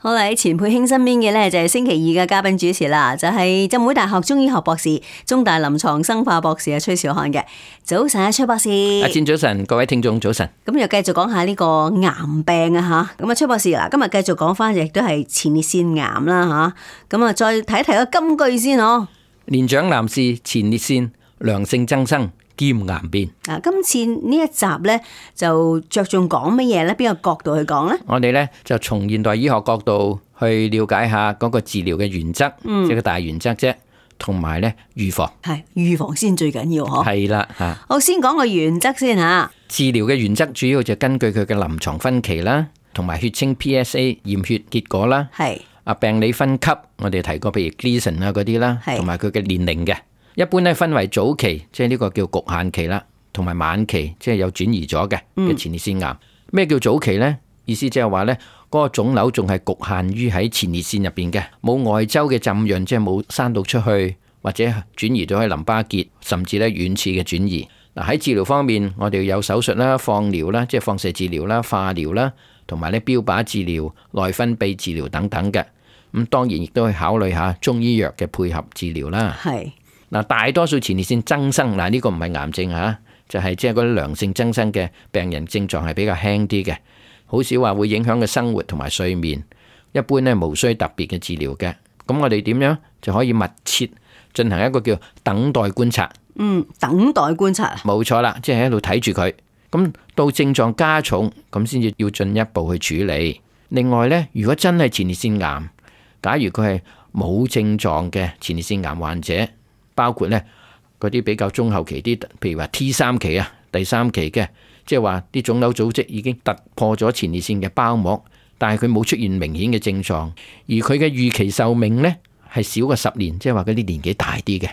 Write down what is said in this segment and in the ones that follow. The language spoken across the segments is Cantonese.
好啦，喺錢佩卿身邊嘅咧就係星期二嘅嘉賓主持啦，就係浸會大學中醫學博士、中大臨床生化博士崔兆漢嘅。早晨啊，崔博士。阿戰早晨，各位聽眾早晨。咁又繼續講下呢個癌病啊吓。咁啊，崔博士嗱，今日繼續講翻亦都係前列腺癌啦吓。咁啊，再睇一睇個金句先哦。年長男士前列腺良性增生兼癌變。啊，今次呢一集咧就着重講乜嘢咧？邊個角度去講咧？我哋咧就從現代醫學角度去了解下嗰個治療嘅原則，即係個大原則啫，同埋咧預防。係預防先最緊要嗬。係啦吓。我先講個原則先吓。治療嘅原則主要就根據佢嘅臨床分期啦，同埋血清 PSA 驗血結果啦。係。啊，病理分級我哋提過，譬如 Gleason 啊嗰啲啦，同埋佢嘅年齡嘅。一般咧分為早期，即係呢個叫局限期啦，同埋晚期，即係有轉移咗嘅前列腺癌。咩叫早期呢？意思即係話呢嗰個腫瘤仲係局限於喺前列腺入邊嘅，冇外周嘅浸潤，即係冇生到出去，或者轉移到去淋巴結，甚至咧遠次嘅轉移。嗱，喺治療方面，我哋有手術啦、放療啦，即係放射治療啦、化療啦，同埋咧標靶治療、內分泌治療等等嘅。咁當然亦都去考慮下中醫藥嘅配合治療啦。係。嗱，大多數前列腺增生，嗱呢個唔係癌症嚇，就係即係嗰啲良性增生嘅病人，症狀係比較輕啲嘅，好少話會影響嘅生活同埋睡眠。一般咧無需特別嘅治療嘅。咁我哋點樣就可以密切進行一個叫等待觀察？等待觀察啊，冇錯啦，即係喺度睇住佢。咁到症狀加重，咁先至要進一步去處理。另外咧，如果真係前列腺癌，假如佢係冇症狀嘅前列腺癌患者，包括咧嗰啲比較中後期啲，譬如話 T3 期啊、第3期嘅，即係話啲腫瘤組織已經突破咗前列腺嘅包膜，但係佢冇出現明顯嘅症狀，而佢嘅預期壽命咧係少過10年，即係話嗰啲年紀大啲嘅，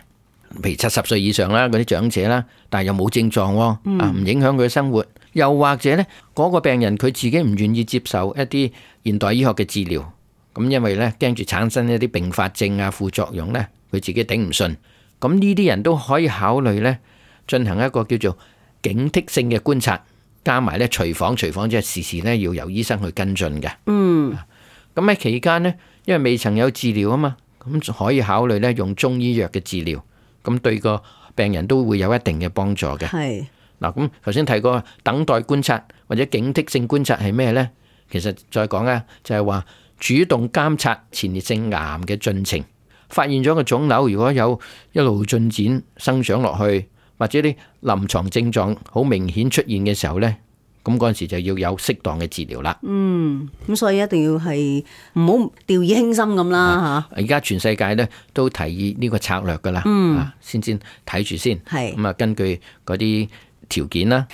譬如70歲以上啦，嗰啲長者啦，但係又冇症狀喎，唔影響佢嘅生活，又或者咧嗰個病人佢自己唔願意接受一啲現代醫學嘅治療，咁因為咧驚住產生一啲併發症啊、副作用咧，佢自己頂唔順。咁呢啲人都可以考慮咧，進行一個叫做警惕性嘅觀察，加埋咧隨訪即係時時咧要由醫生去跟進嘅。咁喺期間呢，因為未曾有治療啊嘛，咁可以考慮咧用中醫藥嘅治療，咁對個病人都會有一定嘅幫助嘅。係嗱，咁頭先提過等待觀察或者警惕性觀察係咩呢？其實再講啊，就係話主動監察前列腺癌嘅進程。發現咗個腫瘤，如果有一路進展生長落去，或者啲臨床症狀好明顯出現嘅時候呢，咁嗰陣時就要有適當嘅治療啦。咁所以一定要係唔好掉以輕心咁啦嚇。而家全世界呢都提議呢個策略噶啦，先睇住先。咁啊，根據嗰啲條件啦。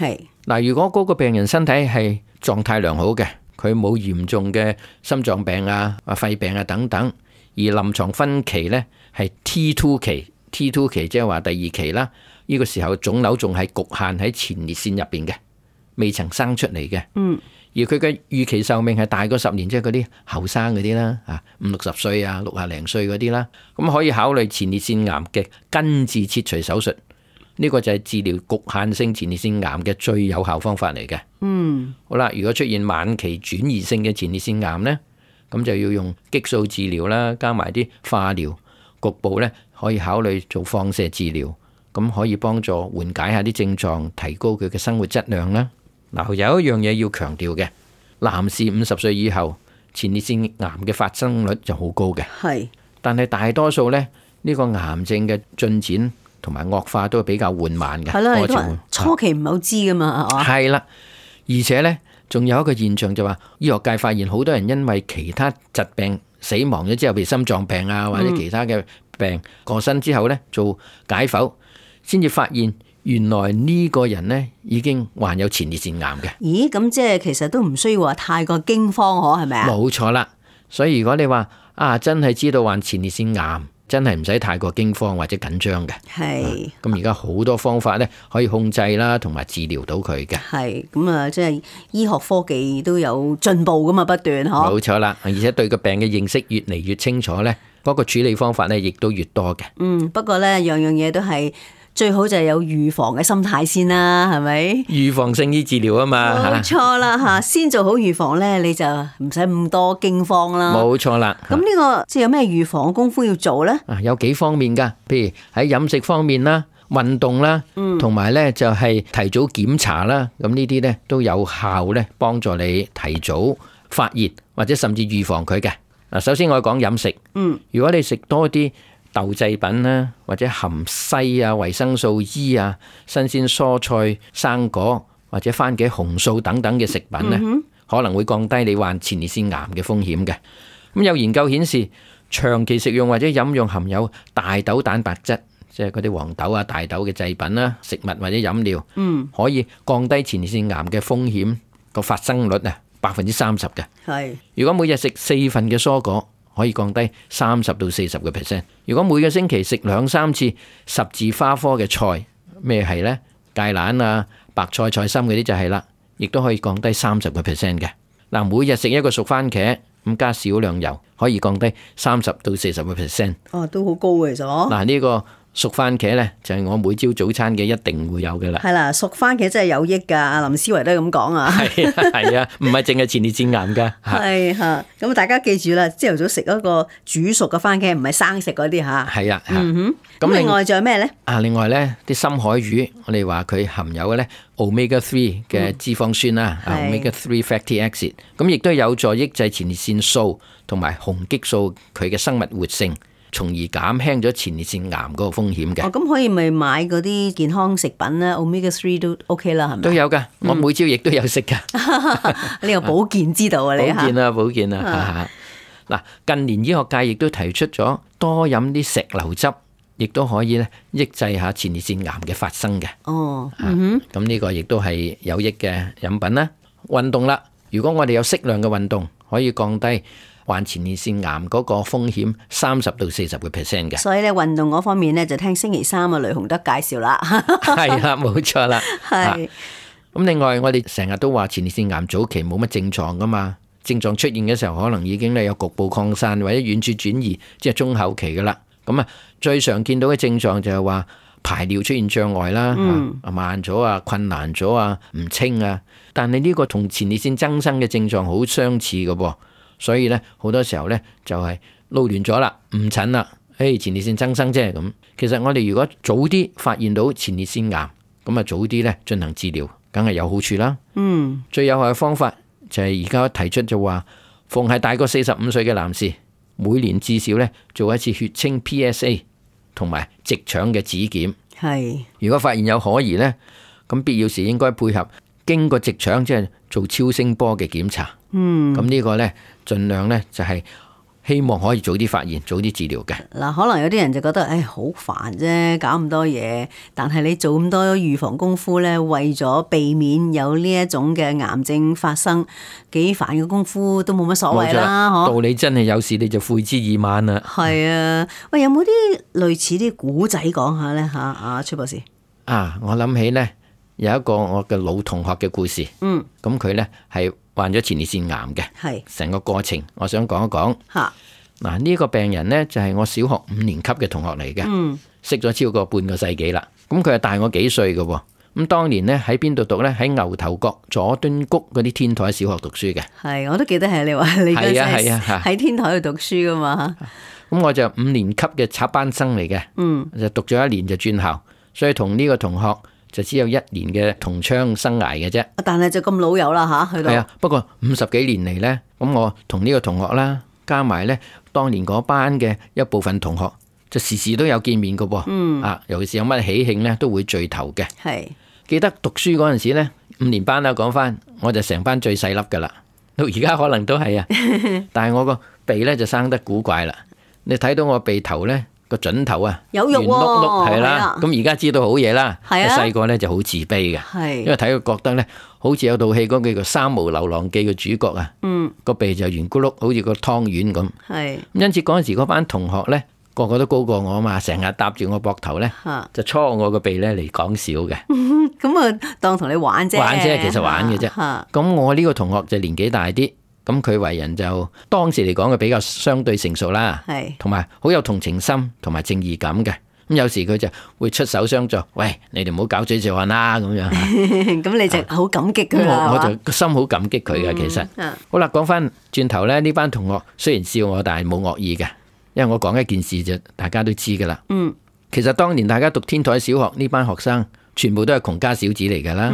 嗱，如果嗰個病人身體係狀態良好嘅，佢冇嚴重嘅心臟病啊、肺病啊等等。而臨床分期呢係 T2 期，T2 期即係話第2期啦。呢個時候腫瘤仲係局限喺前列腺入邊嘅，未曾生出嚟嘅。而佢嘅預期壽命係大過10年，即係嗰啲後生嗰啲啦，50、60歲啊、60零歲嗰啲啦，咁可以考慮前列腺癌嘅根治切除手術。呢個就係治療局限性前列腺癌嘅最有效方法嚟嘅。好啦，如果出現晚期轉移性嘅前列腺癌呢，咁就要用激素治療啦，加埋啲化療，局部咧可以考慮做放射治療，咁可以幫助緩解下啲症狀，提高佢嘅生活質量啦。嗱，有一樣嘢要強調嘅，男士50歲以後前列腺癌嘅發生率就好高嘅，但係大多數咧呢個癌症嘅進展同埋惡化都係比較緩慢嘅。係啦，初期唔係好知噶嘛，係嘛？係啦，而且咧。仲有一個現象就話，醫學界發現好多人因為其他疾病死亡咗之後，譬如心臟病啊或者其他嘅病過身之後呢，做解剖，先至發現原來呢個人呢已經患有前列腺癌嘅。咦？咁即係其實都唔需要話太過驚慌，可係咪啊？冇錯啦，所以如果你話真係知道患前列腺癌，真係唔使太過驚慌或者緊張嘅。係。咁而家好多方法咧可以控制啦，同埋治療到佢嘅。係。咁啊，即係醫學科技都有進步噶嘛，不斷嗬。冇錯啦，而且對個病嘅認識越嚟越清楚咧，嗰個處理方法咧亦都越多嘅。不過咧樣樣嘢都係最好就係有預防嘅心態先啦，係咪？預防勝於治療啊嘛，冇錯啦吓，先做好預防咧，你就唔使咁多驚慌啦。冇錯啦。咁呢個即係有咩預防嘅功夫要做咧？有幾方面噶，譬如喺飲食方面啦、運動啦，同埋咧就係提早檢查啦。咁呢啲咧都有效咧，幫助你提早發現或者甚至預防佢嘅。嗱，首先我講飲食。如果你食多啲豆製品啦，或者含硒啊、維生素 E 啊、新鮮蔬菜、生果或者番茄紅素等等嘅食品咧，可能會降低你患前列腺癌嘅風險嘅。咁有研究顯示，長期食用或者飲用含有大豆蛋白質，即係嗰啲黃豆啊、大豆嘅製品啦、食物或者飲料，可以降低前列腺癌嘅風險個發生率啊30%嘅。係，如果每日食4份嘅蔬果，可以降低30到40%。如果每個星期食2-3次十字花科嘅菜，咩係呢？芥蘭啊、白菜、菜心嗰啲就係啦，亦都可以降低30%嘅。嗱，每日食一個熟番茄，咁加少量油，可以降低30到40%。哦，都好高嘅咗。嗱，呢個熟番茄呢，就係我每朝早餐嘅一定會有嘅啦。係啦，熟番茄真係有益噶，阿林思維都係咁講啊。係啊，唔係淨係前列腺癌噶。係吓，咁大家記住啦，朝頭早食一個煮熟嘅番茄，唔係生食嗰啲吓。係啊，咁另外仲有咩呢？另外呢啲深海魚，我哋話佢含有咧 omega 3嘅脂肪酸啦，omega 3 fatty acid，咁亦都有助抑制前列腺素同埋雄激素佢嘅生物活性，從而減輕咗前列腺癌嗰個風險嘅。咁可以咪買嗰啲健康食品咧 ，omega 3都 OK 啦，係咪？都有噶，我每朝亦都有食噶。呢個保健之道啊，你吓。保健啊。嗱，近年醫學界亦都提出咗多飲啲石榴汁，亦都可以咧抑制下前列腺癌嘅發生嘅。哦，咁呢個亦都係有益嘅飲品啦。運動啦，如果我哋有適量嘅運動，可以降低患前列腺癌嗰個風險30到40%嘅。所以咧運動嗰方面咧就聽星期三啊雷洪德介紹啦。係啦，冇錯啦。係。咁另外我哋成日都話前列腺癌早期冇乜症狀噶嘛，症狀出現嘅時候可能已經咧有局部擴散或者遠處轉移，即係中後期噶啦。咁啊最常見到嘅症狀就係話排尿出現障礙啦，慢咗啊，困難咗啊，唔清啊。但係呢個同前列腺增生嘅症狀好相似嘅噃。所以咧，好多時候咧就係撈亂咗啦，誤診啦。前列腺增生啫咁。其實我哋如果早啲發現到前列腺癌，咁啊早啲咧進行治療，梗係有好處啦。最有效嘅方法就係而家提出就話，逢係大過45歲嘅男士，每年至少咧做一次血清 PSA 同埋直腸嘅指檢。係。如果發現有可疑咧，咁必要時應該配合經過直腸即係做超聲波嘅檢查。咁呢個呢，盡量呢就係希望可以早啲發現，早啲治療嘅。嗱，可能有啲人就覺得，好煩啫，搞咁多嘢。但係你做咁多預防功夫呢，為咗避免有呢一種嘅癌症發生，幾煩嘅功夫都冇乜所謂啦。到你真係有事，你就悔之已晚啦。係啊，喂，有冇啲類似啲古仔講下呢？阿崔博士。我諗起呢，有一個我嘅老同學嘅故事。咁佢呢係患咗前列腺癌嘅，係成個過程，我想講一講。嗱，呢個病人呢，就係我小學5年級嘅同學嚟嘅，識咗超過半個世紀啦。咁佢係大我幾歲嘅，咁當年呢，喺邊度讀呢？喺牛頭角佐敦谷嗰啲天台小學讀書嘅。係，我都記得係你話你嗰陣喺天台度讀書噶嘛。咁我就5年級嘅插班生嚟嘅，就讀咗1年就轉校，所以同呢個同學就只有1年嘅同窗生涯嘅啫，但係就咁老友啦吓，去到係啊。不過50幾年嚟呢，咁我同呢個同學啦，加埋呢當年嗰班嘅一部分同學，就時時都有見面噶噃。尤其是有乜喜慶呢，都會聚頭嘅。係記得讀書嗰陣時呢，5年班啦，講翻我就成班最細粒噶啦，到而家可能都係啊。但係我個鼻呢就生得古怪啦，你睇到我鼻頭呢，個準頭啊，有肉喎，圓碌碌係啦。咁而家知道好嘢啦。係啊，細個咧就好自卑嘅，因為睇佢覺得咧，好似有套戲嗰個叫《三毛流浪記》嘅主角啊，個鼻就圓咕碌，好似個湯圓咁。係，因此嗰陣時嗰班同學咧，個個都高過我啊嘛，成日搭住我膊頭咧，就搓我個鼻咧嚟講笑嘅。咁啊，當同你玩啫，玩啫，其實玩嘅啫。咁我呢個同學就年紀大啲。咁佢為人就當時嚟講嘅比較相對成熟啦，係，同埋好有同情心同埋正義感嘅。咁有時佢就會出手相助，喂，你哋唔好搞嘴嚼痕啦咁樣。咁你就好感激佢我就個心好感激佢嘅，其實。好啦，講翻轉頭咧，呢班同學雖然笑我，但係冇惡意嘅，因為我講一件事就大家都知噶啦。其實當年大家讀天台小學呢班學生，全部都係窮家小子嚟噶啦。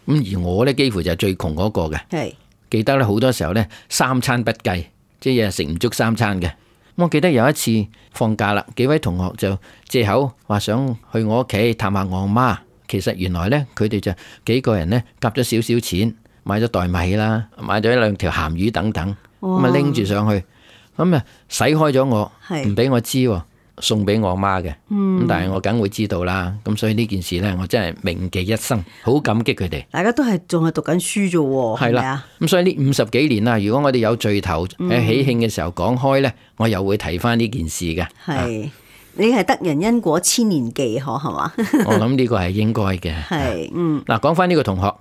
咁而我呢，幾乎就係最窮嗰個嘅。記得咧好多時候呢，三餐不繼，即係食唔足三餐嘅。我記得有一次放假啦，幾位同學就借口話想去我屋企探下我媽。其實原來呢，佢哋就幾個人呢夾咗少少錢，買咗袋米啦，買咗2條鹹魚等等，咁啊拎住上去，咁啊洗開咗我，唔俾我知喎。送俾我媽嘅，咁但係我梗會知道啦。咁所以呢件事呢，我真係銘記一生，好感激佢哋。大家都係仲係讀緊書啫，係啦。咁所以呢50幾年啦，如果我哋有聚頭喺喜慶嘅時候講開呢，我又會提翻呢件事嘅。係你係得人因果千年記，可係嘛？我諗呢個係應該嘅。係，嗱，講翻呢個同學，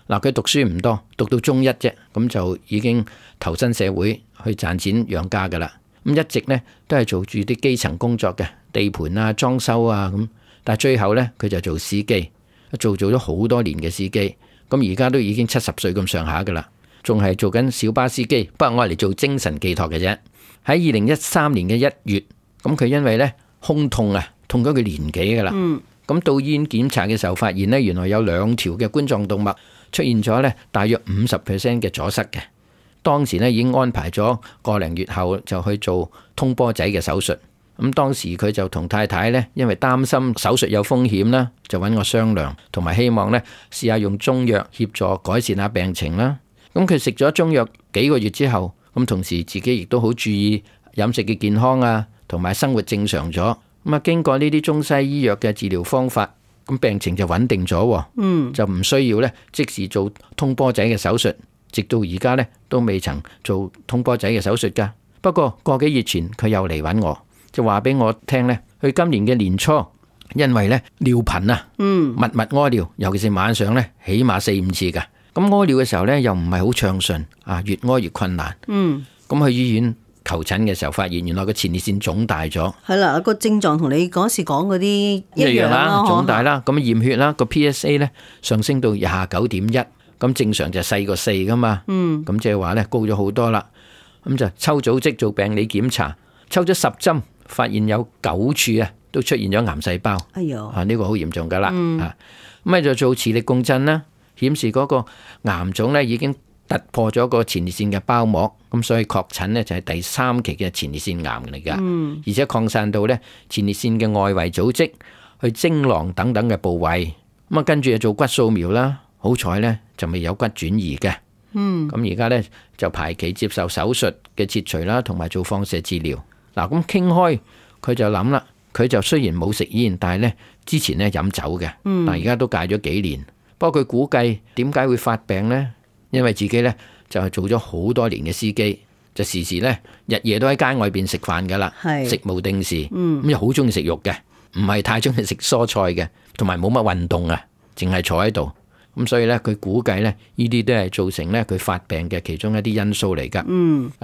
嗱，佢讀書唔多，讀到中1啫，咁就已經投身社會去賺錢養家噶啦。咁一直咧都係做住啲基層工作嘅，地盤啊、裝修啊咁，但係最後咧佢就做司機，做咗好多年嘅司機，咁而家都已經70歲咁上下噶啦，仲係做緊小巴司機，不過我係嚟做精神寄託嘅啫。喺2013年嘅1月，咁佢因為咧胸痛啊，痛咗佢年幾噶啦，咁到醫院檢查嘅時候發現咧，原來有2條嘅冠狀動脈出現咗咧大約50% 嘅阻塞嘅。當時咧已經安排咗個零月後就去做通波仔嘅手術。咁當時佢就同太太咧，因為擔心手術有風險啦，就揾我商量，同埋希望咧試下用中藥協助改善下病情啦。咁佢食咗中藥幾個月之後，咁同時自己亦都好注意飲食嘅健康啊，同埋生活正常咗。咁啊，經過呢啲中西醫藥嘅治療方法，咁病情就穩定咗，就唔需要咧即時做通波仔嘅手術。直到而家咧都未曾做通波仔嘅手術噶。不過個幾月前佢又嚟揾我，就話俾我聽咧，佢今年嘅年初因為咧尿頻啊，密屙尿，尤其是晚上咧起碼4-5次噶。咁屙尿嘅時候咧又唔係好暢順啊，越屙越困難。咁去醫院求診嘅時候，發現原來個前列腺腫大咗。係啦，個症狀同你嗰時講嗰啲一樣啦，腫大啦，咁驗血啦，個 PSA 咧上升到29.1。咁正常就細過4噶嘛，咁即係話咧高咗好多啦。咁就抽組織做病理檢查，抽咗10針，發現有9處啊都出現咗癌細胞。哎呦，呢個好嚴重噶啦。咁咪就做磁力共振啦，顯示嗰個癌腫咧已經突破咗個前列腺嘅包膜，咁所以確診咧就係第3期嘅前列腺癌嚟噶。而且擴散到咧前列腺嘅外圍組織，去精囊等等嘅部位。咁啊跟住就做骨掃描啦。好彩咧就未有骨轉移嘅，咁而家咧就排期接受手術嘅切除啦，同埋做放射治療。嗱，咁傾開佢就諗啦，佢就雖然冇食煙，但係咧之前咧飲酒嘅，但而家都戒咗幾年。不過佢估計點解會發病呢？因為自己咧就係做咗好多年嘅司機，就時時咧日夜都喺街外邊食飯噶啦，食無定時，咁又好中意食肉嘅，唔係太中意食蔬菜嘅，同埋冇乜運動啊，淨係坐喺度。咁所以咧，佢估計咧，呢啲都係造成咧佢發病嘅其中一啲因素嚟噶。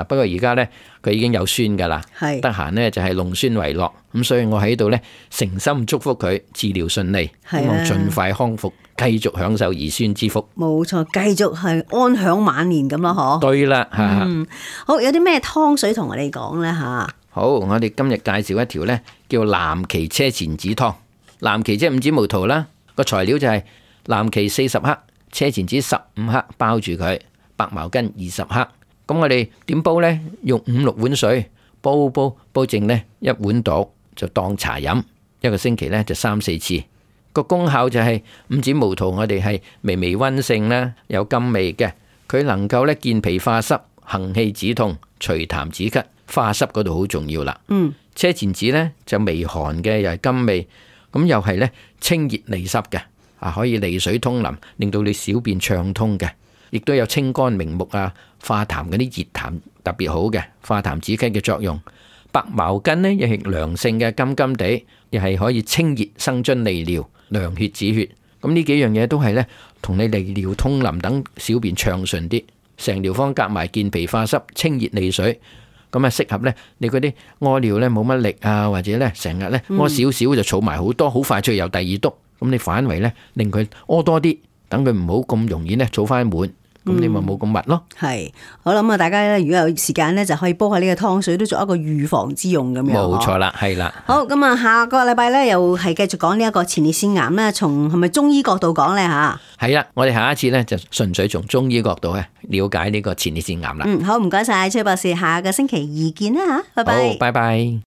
不過而家咧，佢已經有孫噶啦，得閒咧就係弄孫為樂。咁所以我喺度咧誠心祝福佢治療順利，希望盡快康復，繼續享受兒孫之福。冇錯，繼續係安享晚年咁咯，嗬。對啦，好，有啲咩湯水同我哋講咧吓？好，我哋今日介紹一條咧叫藍芪車前子湯。藍芪即係5指毛桃啦，個材料就係藍芪40克，車前子15克，包住佢，白茅根20克。咁我哋點煲呢？用5-6碗水煲剩呢1碗度，就當茶飲。一個星期呢就3-4次。個功效就係5指毛桃，我哋係微微溫性啦，有甘味嘅。佢能夠呢健脾化濕、行氣止痛、除痰止咳。化濕嗰度好重要啦。車前子呢就微寒嘅，又係甘味，咁又係呢清熱利濕嘅。可以利水通淋，令到你小便暢通嘅，亦都有清肝明目啊、化痰嗰啲熱痰特別好嘅，化痰止咳嘅作用。白茅根呢，亦係涼性嘅，甘甘地，亦係可以清熱生津利尿、涼血止血。咁呢幾樣嘢都係呢，同你利尿通淋等小便暢順啲。成條方夾埋健脾化濕、清熱利水，咁啊適合咧你嗰啲屙尿咧冇乜力啊，或者咧成日咧屙少少就儲埋好多，好快脆又第二督，咁你反為咧令佢屙多啲，等佢唔好咁容易咧儲翻滿。咁你咪冇咁密咯。係，我諗啊，大家咧如果有時間咧，就可以煲下呢個湯水，都做一個預防之用咁樣。冇錯啦，係啦。好，咁啊，下個禮拜咧又係繼續講呢一個前列腺癌咧，從係咪中醫角度講咧吓？係啦，我哋下一次咧就純粹從中醫角度咧了解呢個前列腺癌啦。好，唔該晒崔博士，下個星期二見啦吓，拜拜。好，拜拜。